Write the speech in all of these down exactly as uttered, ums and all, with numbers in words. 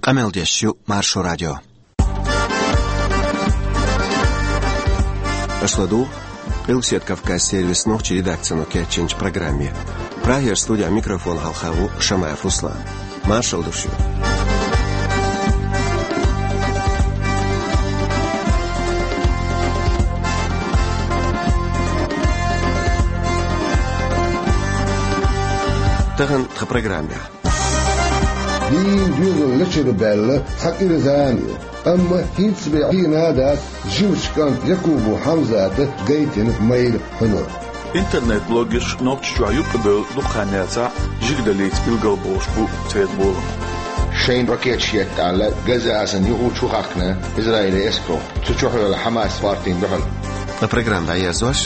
Къамел деш ю Маршо радио. Аша ладугӀу Къилбаседа Кавказ сервисан нохчийн редакцино кечйинчу программе. Прагера студехь микрофон хьалха ву Шамаев Руслан. Маршалла ду шуьга. Тахана тхан программехь. Дийнан доьзал лечуьра баьлла цхьа кӀира зама ю, амма хӀинца бен хьийна а дац жимачу кӀанта Якубов Хьамзата гайтина майра хьуьнар. Интернет-блогерш Нохчийчохь юккъе бевлла дукха хан яцахь, жигаллица билгалбохуш бу церан болам. Шайна ракеташ етта аьлла, Газа-Асана юху чу хахкина Израилан эскаро, цу чу хьоьлу Хьамас партина дуьхьал. Ткъа программа дӀаерзош.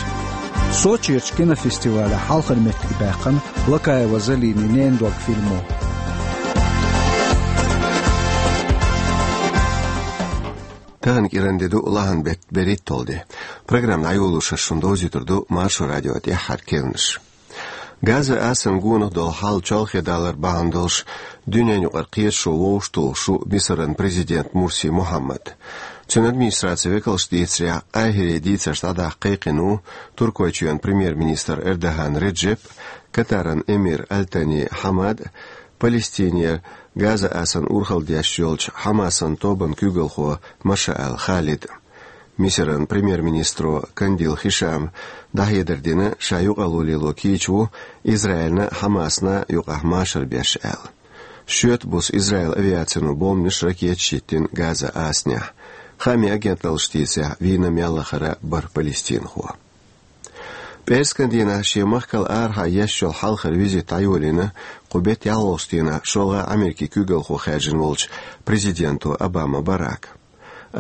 Сочерчу кинофестивалехь хьалхара меттиг баьккхина Блакаева Залинин «Ненан дог» фильмо. Тахана кӀиранде ду, лахьан беттан берхӀитталгӀа де. Программа дӀайолош шуна довзуьйтур ду Маршо радион тӀаьххьара керланаш. Газа-Асана гонах долу хьал чолхе далар бахьана долуш, дуьненаюкъара кхеташо вовшахтухуш ву Мисаран президент Мурси Мухьаммад. Цуьнан администрацин векалша дийцарехь, Къахьире дийцарш дӀадаккха кхайкхина ву Туркойчоьнан премьер-министр Эрдоган Реджеп, Катаран эмир Аль-Тани Хьамад, Палестинера Газа-Асана урхалла деш йолчу Хьамасан тобанан куьйгалхо Машаал Халид. Мисаран премьер-министро Кандил Хишама дӀахьедар дина, ша юкъалла лело кийча ву Израилна а, Хьамасна а юкъахь машар беш аьлла. Шоьтан буса Израилан авиацино бомбанаш, ракеташ йиттина Газа-Асанехь. Хаамийн агенталлаша дийцарехь, вийна мел лахара бархӀ палестинхо. ПӀераскан дийнахь шен махкал арахьа еш йолу хьалхара визит дӀайолийна кху беттан ялхолгӀачу дийнахь шолгӀа Америкин куьйгалхо хаьржина волчу президенто Обама Барака.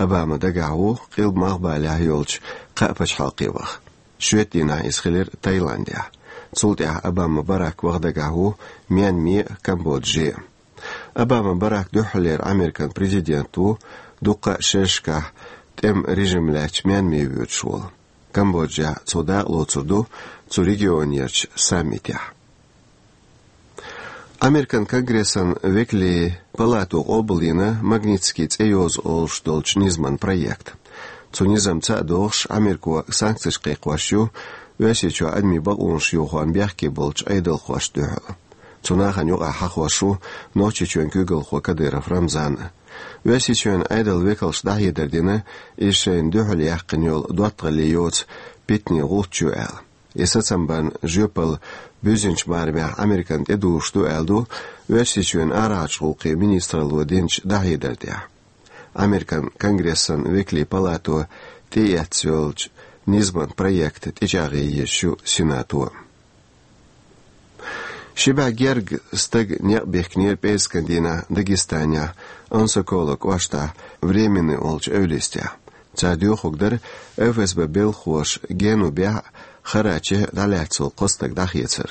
Обама дагахь ву Къилба-Малхбалехь йолчу кхаа пачхьалкхе ваха. Шоьтан дийнахь иза хилира Таиландехь. Цул тӀаьхьа Обама Барак ваха дагахь ву Мьянме а, Камбодже а. Обама Барак дуьххьарлера Американ президент ву дуккха а шерашкахь тӀеман режим лаьцначу Мьянме воьдуш волу. Камбоджехь цо дакъалоцур ду цу регионерчу саммитехь. Американ Конгрессан векалийн палато къобалйина Магнитский цӀе йоза олуш долчу низаман проект. Цу низамца а догӀуш, Америко санкцеш кхайкхош ю Оьрсийчохь адамийн бакъонаш йохорна бехке болчу Ӏедалхошна дуьхьал. Цу нахана юкъахь хьахош ву Нохчийчоьнан куьйгалхо Кадыров Рамзан а. Оьрсийчоьнан Ӏедалан векалша дӀахьедар дина, иза шайна дуьхьал яьккхина йолу доттагӀалле йоцу питанийн гӀулч ю аьлла. И сацам барна жоьпалла буьззинчу барамехь Американа тӀедужуш ду аьлла ду Оьрсийчоьнан арахьарчу гӀуллакхийн министралло динчу дӀахьедар тӀехь. Американ Конгрессан векалийн палато тӀеэцна йолчу низаман проект тӀечӀагӀъян езаш ю Сенато. Ши бӀе гергга стаг некъ бихкинера пӀераскан дийнахь Дагестанехь Ансакола кӀоштахь Временный олучу эвлистехь. Цара доьхург дара ФСБ белхалоша Генубехь а, Харачехь а дӀалаьцна волу кхо стаг дӀахецар.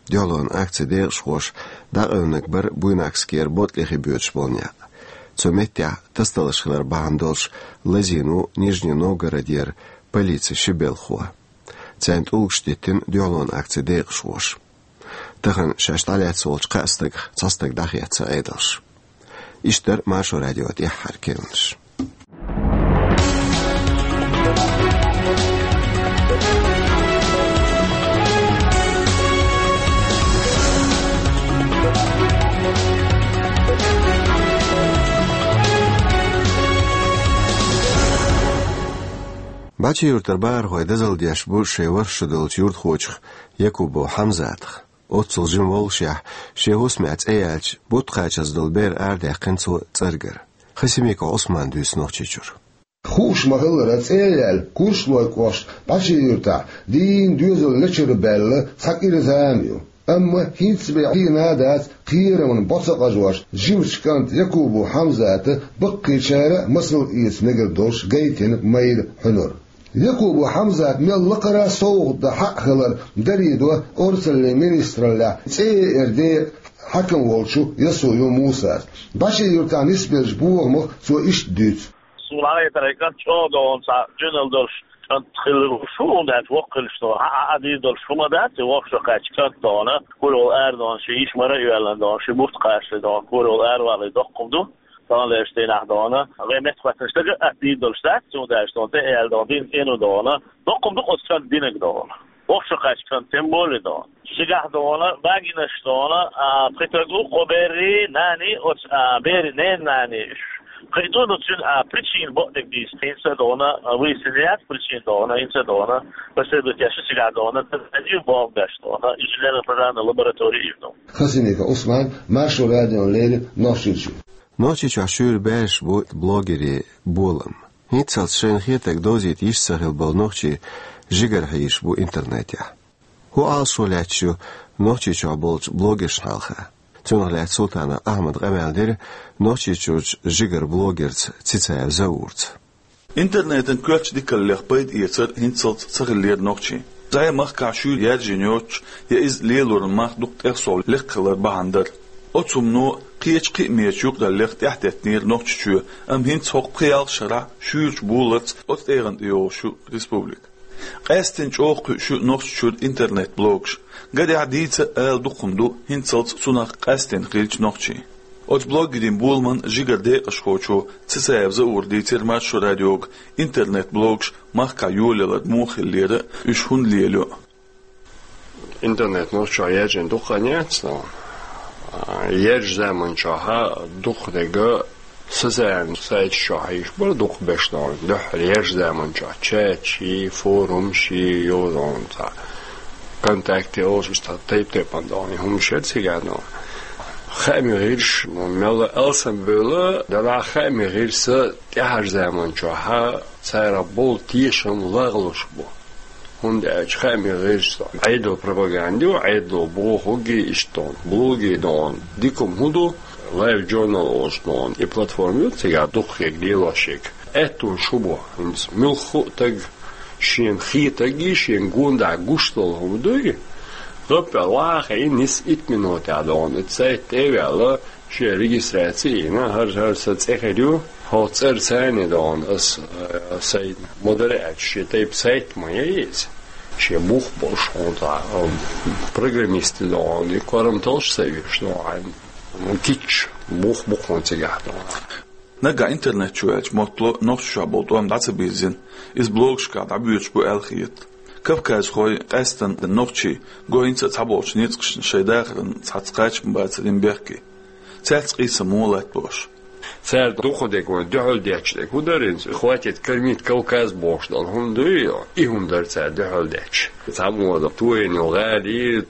Дуьхьалонан акцин декъашхоша дӀакъевнарг бара Буйнакскера Ботли-хи боьдуш болу некъ. Цу меттехь тасадаларш хилар бахьана долуш лазийна ву Нижний Новгородера полицин ши белхало. Царна тӀулгаш диттина дуьхьалонан акцин декъашхоша. Тахана шаьш дӀалаьцна волчу кхаа стагах цхьа стаг дӀахецна Ӏедалша. Иштта дара Маршо радион тӀаьххьара керланаш. Бачи-Юьртара бахархой дозалла деш бу шайн ворхӀ шо долчу юьртахочух Якубов Хьамзатах. Оццул жима воллушехь, шен хӀусамехь цӀе яьлча, бутт кхачаза долу бер арадаьккхина цо цӀергара. Хасимиков Ӏусмана дуьйцу Нохчийчуьра. Хууш ма-хиллара, цӀе а яьлла, Курчалойн кӀоштан Бачи-Юьртахь дийнан доьзал лечуьра баьлла цхьа кӀира зама ю. Амма хӀинца бен хьийна а дац кхерамна бӀо ца къажош жимачу кӀанта Якубов Хьамзата баккхийчара а масал эца мегар долуш гайтина майра хьуьнар. Якубов Хьамзата мел лакхара а совгӀат дан хьакъ хилар дарийдо орцаллин министраллехь цӀе яа декъан хьаькам волчу Ясуев Мусас. Бачи-Юьртахь нисбеллачу бохамах цо иштта дуьйцу. Суна хетарехь, кӀант чӀогӀа догӀна, цхьа жинал долуш кӀант хилла ву шу, хӀунда аьлча воккха хилча догӀна, хьан а дийр долуш хӀума дац, и воккха шо кхаьчча кӀант догӀна, куралла ара догӀна, шен йиша мара а йоьллина догӀна, шен бутт кхачале догӀна, куралла аравале доккха хӀума ду. Дала леш дийнахь дона, вай меттахоттанаш дага а дийр долуш дац, цундела дона, тӀе аьлла дона, дин цӀено дона, доккхум ду оцу кан динаг дона. Воккхачу кан тем более дона. Шигахь дона, багинаш дона, а, пхи таг ву, кхо беррий, наний, оцу, а, беррий ненан наний. Кхин ду, ну, цуьнан, а, причина бакъдерг дийца, хӀинца дона, а, вуьйцина яц причина дона, хӀинца дона, последует я шу цигахь дона, радио болх беш дона, инженерно-программная лаборатория ю дона. Хасимиков Усман, Маршо радиона леррина Нохчийчуьра. Нохчийчохь шуьйра баьржаш бу блогерийн болам. ХӀинццалц шайна хетарг довзийта йиш ца хилла болу нохчий жигара хьийзаш бу интернетехь. ХӀун Ӏалашо лаьтташ ю Нохчийчохь болчу блогершна хьалха? Цунах лаьцна Султанов Ахьмада къамел дира Нохчийчуьрчу жигара блогерца Цицаев Заурца. Интернетан коьртачу дикаллех пайда эцар хӀинццалц ца хиллера нохчийн. Цхьа а махкахь шуьйра яьржина йоцуш, я иза лелоран мах дукха тӀехсолу лекха хилар бахьана дара. Оцу хӀумано кхечу кхиамечу юкъараллех тӀаьхьатеттинера Нохчийчоь, амма хӀинца хӀокху пхи-ялх шарахь шуьйрачу буларца оцу тӀегӀан тӀе йогӀуш ю республика. Къаьсттина чӀогӀа кхуьуш ю Нохчийчуьра интернет-блогаш. Гарехь, дийца а ала дукха хӀума ду хӀинццалц цунах къаьсттина хиллачу нохчийн. Оцу блогерийн боламан жигара декъашхочо Цицаев Заура дийцира Маршо радиога интернет-блогаш махкахь йолаялар муха хиллера, уьш хӀунда лелайо. Интернет нохчо яьржина дукха хан яц, но, а, яьржачу заманчохь дукха дерг социальни сайташ чохь йиш бара дукха беш, но, дуьххьара яьржачу заманчохь чаташ, форумаш, йозанца, ВКонтакте олуш, иштта тайп-тайпана дона хӀуманаш яра цигахь, но, хаамийн гӀирсаш, но, мелла алсамбевлла, делахь хаамийн гӀирсаша тӀаьхьарчу заманчохь цара болу тешам лагӀлуш бу. ХӀунда аьлча хаамийн гӀирсаша Ӏедалан пропаганда ю, Ӏедало бохург а иштта дона, блог а дона, дика хӀума хӀун ду, Live Journal олуш дона, и платформа ю цигахь дукха хӀума лелош ерг. Аьттонаш хӀун бу, хӀинца муьлхха а стаг шена хетарг а, шена гондахь гуш долу хӀума дуй, гӀаппал вахийна, нис итт минотехь дона, и сайт тӀе а ваьлла, шен регистраци а йина, хӀара-хӀара сан цӀе хир ю, хьо цӀарца а дона, ас, э, сайн ма-дарра аьлча, шен тайпа сайт ма яй иза. Шен бух болуш хьуна цхьа, э, программист дона, и корам толлуш ца веш дона, кийча бух бу хьуна цигахь дона. Нагахь интернет чу ваьлча, моттало Нохчийчохь болу тӀом дӀа ца бирзина, иза блогашкахь дӀабоьдуш бу аьлла хета. Кавказхой, къаьсттина нохчий, го хӀинца а цхьаболчу ницкъашна шайн дахаран цхьацца кхачам бацарийн бехке. Цаьрца къийсам муха латта бохуш. Цара дукха дерг вайн дуьхьал детташ дерг хӀун дара иза? «Хватит кормить Кавказ» бохуш долу хӀума дуй, и хӀума дара цара дуьхьал детташ. Цхьаммо дара тоьйна гӀали,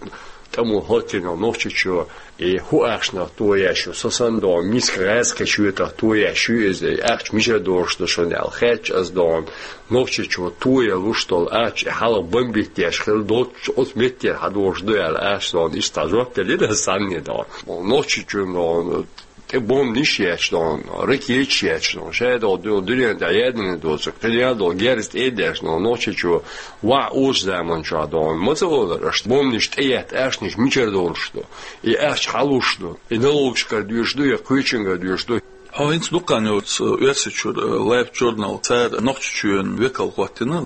тӀамо хӀоттийна Нохчийчоь, и хӀун ахчанах тоеш ю, со санна дона, миска гӀаьз кхечу шоьтах тоеш ю иза, и ахча мичара долуш ду шуна аьлла, хаьттича ас дона, Нохчийчоь тоелуш долу ахча, и хьалха бомбить деш хилла долчу оцу меттера хьан долуш ду аьлла, ахча дона, иштта жоп делира ас санна дона. Нохчийчоьнан дона, тӀе бомбанаш еш дона, ракеташ еш дона, шадолу дуьнен тӀехь яьдина доцург, кхин ял долу герз тӀе а деш дона, Нохчийчоь ваха оцу заманчохь дона, ма ца олура аша, бомбанаш тӀеетта ахчанаш мичара долуш ду, и ахча хьан луш ду, и налогашкара доьшуш ду, я кхечуьнгара доьшуш ду. Хьо хӀинца дукха хан йоцу Оьрсийчуьра Live Journal, цара Нохчийчоьнан векал хӀоттийна.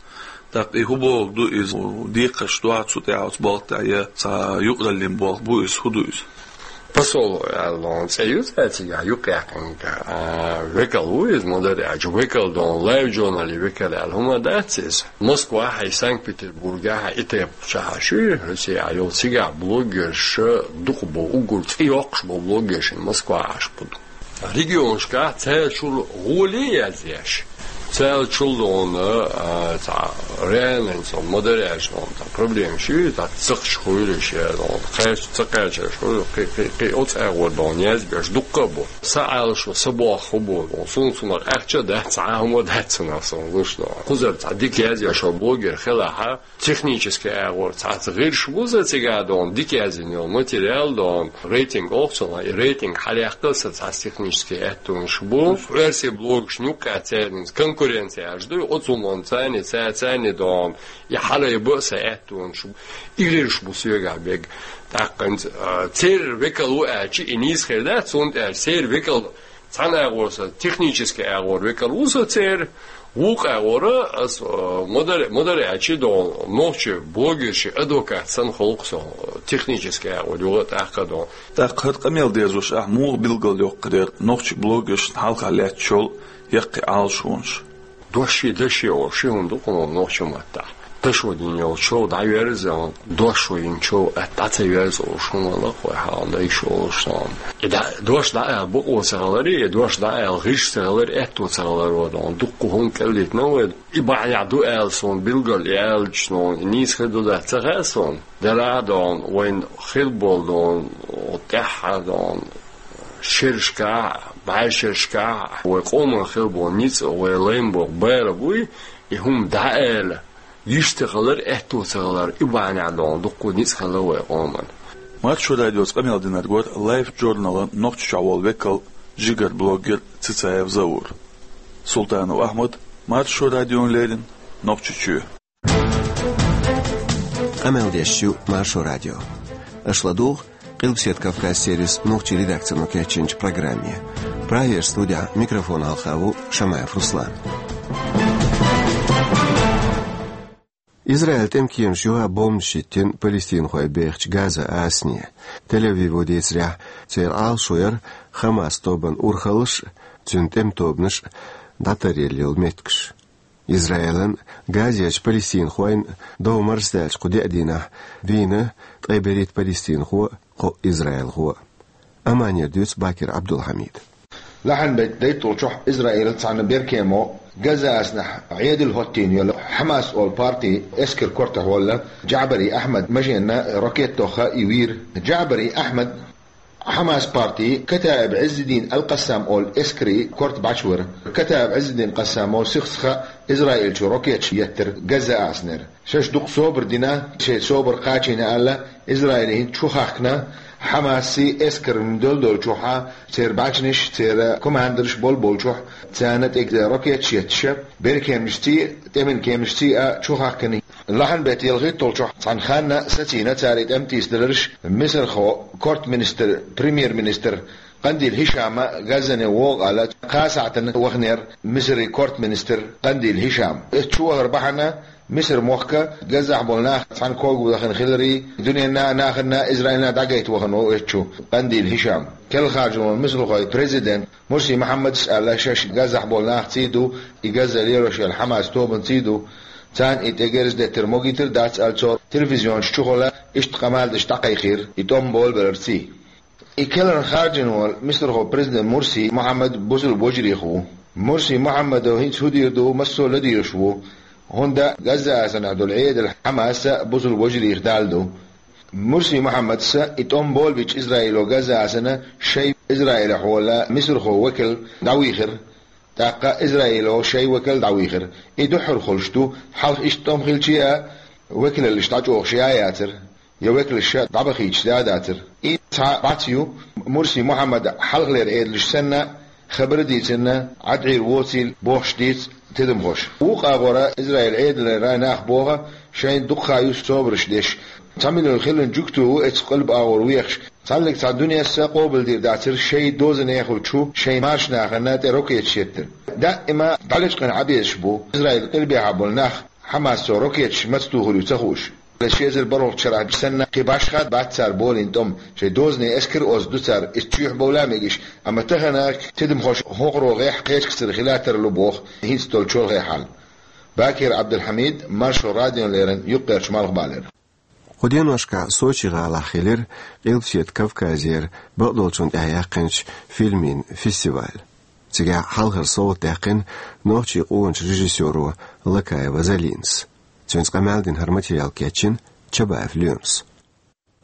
ТӀаккха и хӀун бохург ду иза, декхарш ду хьан цу тӀехь оцу болх тӀехь, я цхьа юкъараллин болх бу иза, хӀун ду иза? Посол аьлла цӀе ю цаьрца, цигахь юкъаяьккхинарг, а, векал ву иза, ма-дарра аьлча, векал дона, Live Journal-ийн векал аьлла хӀума дац иза. Москвахь а, Санкт-Петербургехь а, и тайпа чохь а шу, Россехь йолу цигахь блогерш дукха бу, уггар цӀе йоккхуш болу блогерш Москвахь Ӏаш бу. Регионашкахь цаьрчул гӀоле а язъеш, цаьрчул дона, а, цхьа реальный, цхьа ма-дарра аьлча дона, цхьа проблемаш ю, цхьа цхьаъ хуьлуш, я дона, кхаьчча, ца кхаьчча хуьлу, кхин, кхин, кхин оцу агӀор дона язбеш дуккха а бу. Сан Ӏалашо, сан боху бу, суна цунах ахча а дац, цхьа а хӀума а дац цунах, суна луш дона. Кхузара цхьа дика язъеш йолу блогер хилахь, технический агӀор цхьацца гӀирсаш бу сан цигахь дона, дика яздина йолу материал дона, рейтинг олу цунах, и рейтинг хьалаяккхал сан цхьацца технический аьттонаш бу. Оьрсийн блогашна юккъехь церан конкуренци еш ду, оцу хӀуманца царна, царна дона, и хьалайба а сан аьттонаш бу. И гӀирсаш бу соьгахь берг. ТӀаккха, а, церан векал ву аьлча, и нийса хир дац, цунна аьлча, церан векал цхьана агӀор сан, технический агӀор векал ву сан церан, Вукху агӀора ас, э, модаре, модаре а чи дон, нохчи блогерши адвокат сан холкъ со, технически агӀо юга тӀаккха дон. ТӀаккха хӀара къамел дезаш ахь муха билгал йоккху дера нохчи блогершна хьалха лаьттачул яккхий Ӏалашонаш? Доши, даши олу ши хӀума ду кхуна нохча маттахь. Дашо дина йолчул дӀаверза, дошо йинчул атта дӀа ца верза олуш хӀума ла кхой хьална йиш олуш сон. И дӀа, дош дӀа аьлла бакъо ца хилари, и дош дӀа аьлла гӀиш ца хилари, аьтто ца хиларо дон. Дуккха хӀума кӀеллийтина вай. И бахьанехь ду аьлла суна билгал и аьллачу нон, и нийса хир ду дац ца хаьа суна. Дара а дон, вайн хир болу дон, тӀаьххьа дон, шерашкахь, бӀаьршерашкахь, вай къоман хир болу ницкъ, вай лайн боху бара буй, и хӀума дӀа аьлла, йиш ца хилар, аьтто ца хилар, и бахьанехь дон, дуккха ницкъ хилла вай къоман. Маршо радиоца къамел динарг вара Life Journal-ан Нохчийчохь волу векал, жигара блогер Цицаев Заур. Султанов Ахьмад, Маршо радиона леррина, Нохчийчоь. Къамел деш ю Маршо радио. Аша ладугӀу Къилбаседа Кавказ сервисан нохчийн редакцино кечйинчу программе. Прагера студехь микрофон хьалха ву Шамаев Руслан. Израилан тӀеман кемаша юха бомбанаш хӀиттина палестинхой бехачу Газа-Ӏасане. Тель-Авиво дийцарехь, церан Ӏалашо яра Хамас тобанан урхаллаш а, цуьнан тӀеман тобанаш а дӀатаръяла йолу меттигаш. Израилан а, Газерчу палестинхойн а дов марсадаьллачу кху деа дийнахь вийна ткъе берхӀитта палестинхо а, кхоъ израилхо а. Амманера дуьйцу Бакир Ӏабдулхьамида. Лахьанбеттан дейтталгӀачохь Израилан цхьана беркемо Газа-Ӏасанехь Ӏедал хӀоттийна йолу Хьамас олу партин эскаран кортахь волу Джаъбари Ахьмадан машенна ракета тоьхна и вийра. Джаъбари Ахьмад Хьамас партин Катаиб Ӏиззиддин ал-Къассам олу эскаран корта бӀаьчвира. Катаиб Ӏиззиддин Къассамо сих-сиха Израилчу ракеташ еттира Газа-Ӏасанера. Шаьш дукха собар дина, шайн собар кхачийна аьлла, Израиле хӀинца чу хахкина, Хьамасий эскаран долдолчохь, церан бӀаьчнаш, церан командирш болболчохь, царна тӀе ракеташ етташ, беркеманашций, тӀеман кеманашций а чу хахкина. Лахьанбеттан ялхитталгӀачохь цхьана ханна сацийна цара и тӀеман тийсадаларш, Мисархо кортаминистр, премьер-министр Къандил Хишама Газане вогӀу аьлла, кхаа сахьтана ваханера Мисаран кортаминистр Къандил Хишам. Эцца чу вахар бахьана Мисар-мохк Газахь болу нах цхьаьна ког вахана хиларе, дуьненна а, нахана а, Израилна а дӀагайта вахана ву эцца чу Къандил Хишам. Керла харжина волу мисархойн президент Мурси Мухьаммадс аьлла, шаьш Газахь болу нахций ду, и Газа лелош йолу Хьамас тобанций ду, царна и тӀе герз деттар могуьйтур дац аьлла, цо телевизионаш чухула иштта къамел деш дӀакхайкхийра, и тӀом болабелларций. И керланхьа харжина волу Мисархойн президент Мурси Мухьаммад бусалба вежарий ву. Мурси Мухьаммадо хӀинца хӀун дийр ду, массо а ладугӀуш ву, хӀунда Газа-Ӏасанехь долу Ӏедал Хьамас а бусалба вежарийн дала ду. Мурси Мухьаммадс и тӀом болабича Израило Газа-Ӏасана шайн Израилехь волу мисархойн векал дӀавийхира, тӀаккха Израило шайн векал дӀавийхира. И дуьххьара хуьлуш ду, хьалха иштта тӀом хилча а, векалаллаш дӀачӀогӀуш я а яцара, я векалш дӀабахийтуш да а дацара. И цхьа бӀац ю, Мурси Мухьаммада хьалхалера Ӏедалш санна, хабар а дийцина, Ӏад Ӏийр воцийла бохуш дийца тидамхоша. Вукху агӀора Израилан Ӏедалера нах боху, шайна дукха ха ю собарш деш. Цхьа миллион хиллачу жуьгтий ву эцу къилба агӀор вехаш. Цхьаьллиг цхьа дуьненна а къобалдийр дацара шайн дозанехула чу шайн маршнахана тӀе ракеташ еттар. Даима дӀалечкъина Ӏан безаш бу Израилан къилбехьа болу нах, Хьамасо ракеташ маца тухур ю ца хууш. Ши эзар бархӀалгӀачу шарахь санна, кхин башха а бац цара болийна тӀом, шайн дозанийн эскар а оьзда ду цара, иза чоьхьа бовла а мегаш, амма тахана тидамхоша хӀокхуьнгара гӀеххьа кхечу кхаьчнера хилийтар ю боху, хӀинца долчу хьалхалера. Бакир Ӏабдулхьамид, Маршо радиона леррина, Юккъерчу Малхбалера. Кху деношкахь Сочи гӀалахь хилира Къилбаседа Кавказера бакъдолчунна тӀехь яьккхинчу фильмийн фестиваль. Цигахь хьалхара совгӀат даьккхина нохчийн къоначу режиссёро Лакаева Залинас. Цуьнца къамел дина хӀара материал кечйина Чабаев Лоьмас.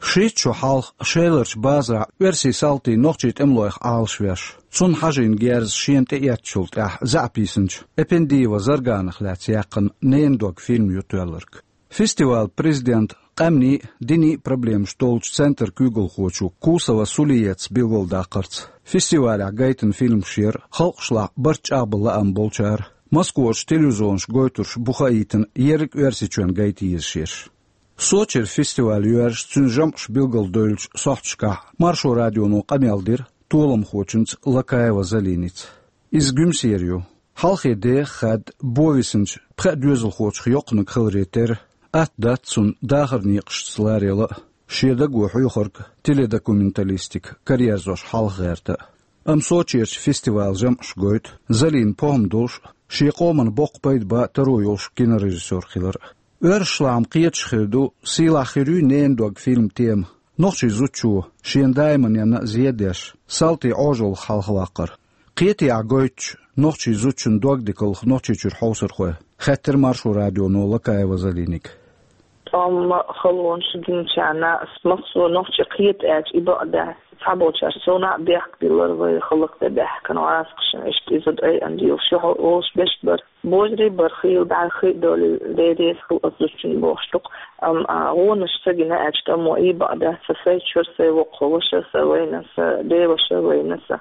Шийтта шо хьалха Шеларчу базарахь оьрсийн салтий нохчийн тӀемалойх Ӏалашвеш, цунна хьажийна герз шена тӀеэцначул тӀаьхьа заьӀап йисинчу Эпендиева Зарганах лаьцна яьккхина «Ненан дог» фильм ю тоьлларг. Фестивалан президента, къаьмнийн а, динийн а проблемаш долчу центран куьйгалхочо Кусова Сулиетас билгалдаккхарца, фестивалехь гайтина фильмаш яра халкъашлахь барт чӀагӀбан лаам болчара, Москварчу телевизионаша гойтурш бу хаийтина ерриг Оьрсийчоьнна гайта езаш ерш. Сочера фестиваль йоьрзуш, цуьнан жамӀаш билгалдевллачу сохьташкахь Маршо радионо къамел дира толамхочуьнца Лакаева Залиница. Иза Гуьмсера ю. Хьалхе деха хадда бовисинчу пхеа доьзалхочух йоккханиг хиларе терра, атта дац цунна дахаран некъашца ларъяла а, шен даго хьоьхург, теледокументалистика караерзош хьалха гӀерта а. Амма Сочерчу фестивалан жамӀаша гойту Залинан похӀма долуш а, шен къоман боккха пайда бан а таро йолуш кинорежиссёр хилар а. Оьрсашлахь-м кхеташ хир ду, сийлахь хир юй «Ненан дог» фильман тема, нохчийн зудчо, шена даиманна а зен деш, салтий Ӏожаллах хьалхаваккхар. Кхетий ахь гойтуш нохчийн зудчун дог дикаллах Нохчийчуьра хьовсархой, хаьттира Маршо радионо Лакаева Залиниг. ТӀом, халонаш динчарна ас массо а нохчи кхета аьлча, и бакъ дац. Цхьаболчара совнаха бехк биллар вай хӀаллакдан баьхкина гӀазкхашна, иштта иза айъан дилла ши хьо олуш беш бара. Божарий бара, хийла бӀаьрхи а долий, Дела реза хуьлда оцу зудчунна бохуш ду-кх. Амма, а, гӀонаш ца гина аьлча, тӀамо и бакъ дац, сан сайчуьра сайн воккхачу ваша сан вайна, сан деваша вайна сан.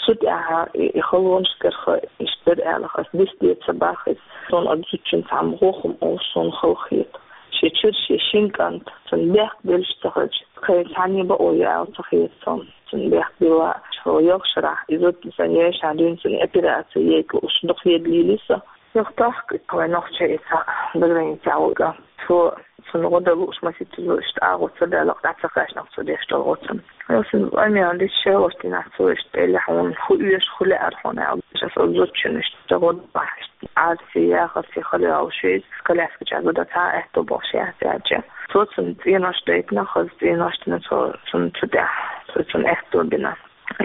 Цу тӀаьхьа и, и халонаш карахь иштта дара аьлла, ас дис де ца боху иза. Суна оцу зудчуьнца цхьамма гӀо хӀума олуш суна хала хета. Шен чуьра шен шина кӀант, цунна бехк беллаш ца хилча, кхин цхьанне бакъо ю аьлла ца хета суна. Цунна бехк билла, хӀокху ялх шарахь и зуда сан йиша дуьйна, цунна операци яйта лууш дукха еда лийли со. Юха тохка вай нохчий и цхьа заграницехь волу кӀант. Цо цунна гӀо дан лууш масийтта зуда иштта агӀо ца далахь, дӀа ца кхаьчнехь цо деш долу гӀо цунна. Йо, сан къамел дича шелош динахь цо иштта, элли хьуна хӀун оьшу, хӀун лаьара хьуна аьлла, ас оцу зудчунна иштта гӀо дан бахьа, иштта Ӏарси, яхарси хала йолуш иза, коляска чохь зуда цхьа а аьтто болуш яц аьлча. Цо цунна цӀенош дайтина, хаза цӀенош дина цо цунна цу тӀехь, цо цунна аьтто бина.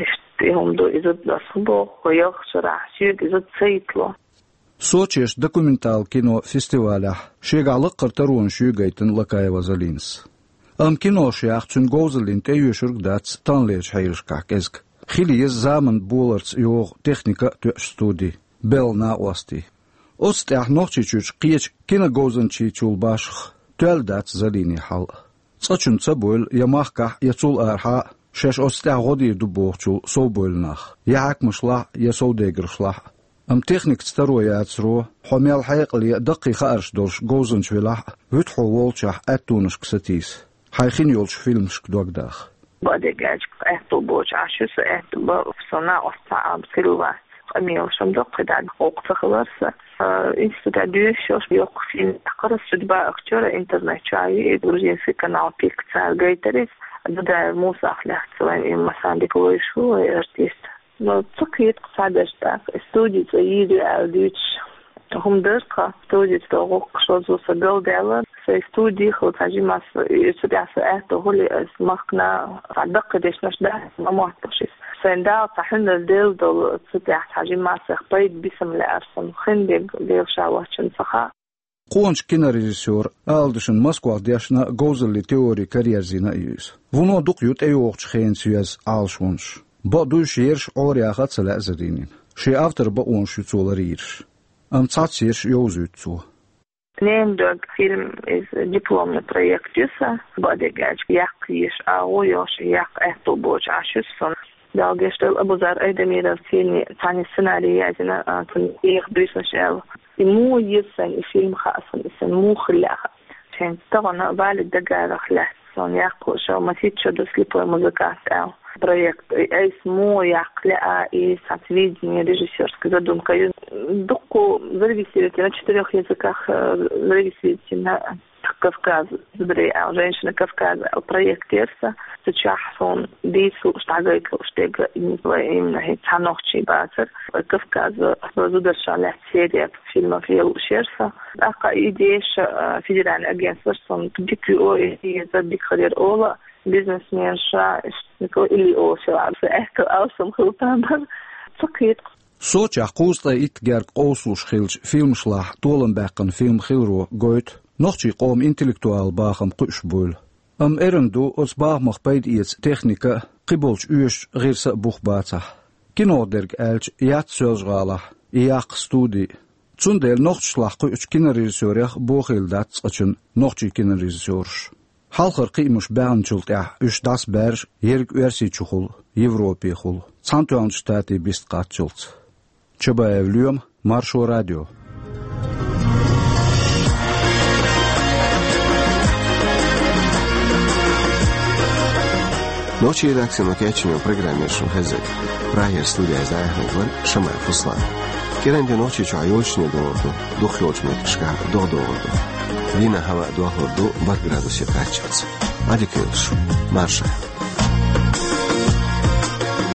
Иштта и хӀума ду, и зуда ас хӀун боху, хӀокху ялх шарахь соьга и зуда ца йитло. Сочерчу документал кино фестивалехь шегахь лаккхара таронаш юй гайтина Лакаева Залинас. Амма киношех цуьнан говзаллин тӀеоьшург дац таханлерчу хьелашкахь кӀезиг. Хила еза заманан боларца йогӀу техника а тоьуш студи, белла накъостий. Оцу тӀехь Нохчийчуьрчу кхечу киноговзанчийчул башха тоьлла дац Залинийн хьал а. Цкъачунна ца бевлла я махкахь, я цул арахьа а, шаьш оцу тӀехь гӀо дийр ду бохучул совбевлла нах, я хьаькамашлахь а, я совдегаршлахь а. Амма техникаца таро яцаро, хьо мел хьекъале а, даккхий хаарш долуш говзанча велахь а, вуьту хьо волчохь аьттонашка сатийса, хьайн хин йолчу фильмашка дог даха. Бакъдерг аьлча, аьтто боцуш Ӏаш ю со, аьтто бан со накъост цхьа а хилла вац. Къамелаш ма ду кхидӀа, гӀуллакх ца хилар сан. А, институтехь доьшуш йолуш йоккха фильм яьккхира ас, «Судьба актёра», интернет чохь ю и, грузинский канал «Пик», цара гайтира иза. Дудаев Мусах лаьцна вайн и массарна дика вевзаш ву вай артист. Но ца кхета-кх цхьаберш тӀаккха, и студи цӀа йийр ю аьлла дуьйцуш. ХӀума дара-кх, студица долу гӀуллакхаш озо сан галдаьлла, сайн студи хилла цхьа жимма ас, и цу тӀехь сан аьтто хӀули ас махкана цхьа даккхий дешнаш дац, ма мотталуш иза. Сайн Дала цхьа хьуьнар делла долу, цу тӀехь цхьа жимма ас сайх пайда бисам лаьара суна, хин дерг Дела Ша воцчунна ца хаьа. Къоначу кинорежиссёра, ала дашна, Москвахь дешна а, говзаллин теори караерзийна а ю иза. Вуно дукха ю тӀейогӀучу хенца йоьзна Ӏалашонаш. Бакъду, уьш ерш Ӏораяха а ца лаьа Залинина. Шен автор бакъонаш ю цо ларйийраш. Амма цхьаццаерш йовзуьйту цо. «Ненан дог» фильм, иза дипломный проект ю сан, бакъдерг аьлча, яккха езаш агӀо йолуш, яккха аьтто боцуш Ӏаш ю сан. Дала гечдойла, Абузар Айдамировций цхьаьна сценарий язйина, а, цунна эха буьйсанаш аьлла. И муха еза сайна и фильм хаьа суна, и сайна муха хила лаьа хаьа. Шен тахана Валид Дагаевах лаьцна суна яккха шо масийтта шо ду, «Слепой музыкант» аьлла проект. И айса муха яккха лаьа, и цхьацца видение, режиссёрская задумка ю. Дуккха зарегистрировать йина, на четырёх языках, э, зарегистрировать йина «Кавказ зударий» аьлла, «Женщины Кавказа» аьлла проект яра сан. Цу чохь суна дийца лууш, дӀагайта лууш дерг именно хӀинца цхьа нохчи бацара. Кавказан зударшна лаьцна серия фильмов ян лууш яра сан. ТӀаккха и идеяш, а, федеральный агентствош суна дика ю, и езар дика хир яра олу, бизнесменша, Николай Ильич олуш яра, сан аьтто алсам хила тамар. Ца кхета-кх. Сочехь кхузткъе итт гергга къовсалуш хиллачу фильмашлахь толам баьккхина фильм хиларо гойту нохчийн къоман интеллектуалан бахам кхуьуш буйла. Амма эрна ду оцу бахамах пайда эца техника а, кхиболчу оьшучу гӀирса а бух бацахь. Кинох дерг аьлча, яц Соьлжа-ГӀалахь и яккха студи. Цундела нохчашлахь кхуьучу кинорежиссёрех бохийла дац цкъачунна нохчийн кинорежиссёраш. Хьалхара кхиамаш баьхначул тӀаьхьа уьш дӀасабаьржа ерриг Оьрсийчухула, Европехула, Цхьаьнатоьхначу Штатийн бист кхаччалц. Чабаев Лоьма, Маршо радио. Нохчийн редакцино кечйина программа шуна хезира. Прагера студехь дӀаяьхьнарг вара Шамаев Руслан. КӀиранде Нохчийчохь йолччунна догӀур ду, дукхахйолчу меттигашкахь догӀа догӀур ду. Дийнахь хӀаваъ дохлур ду бархӀ градусе кхаччалц. Ӏадика йойла шун, марша.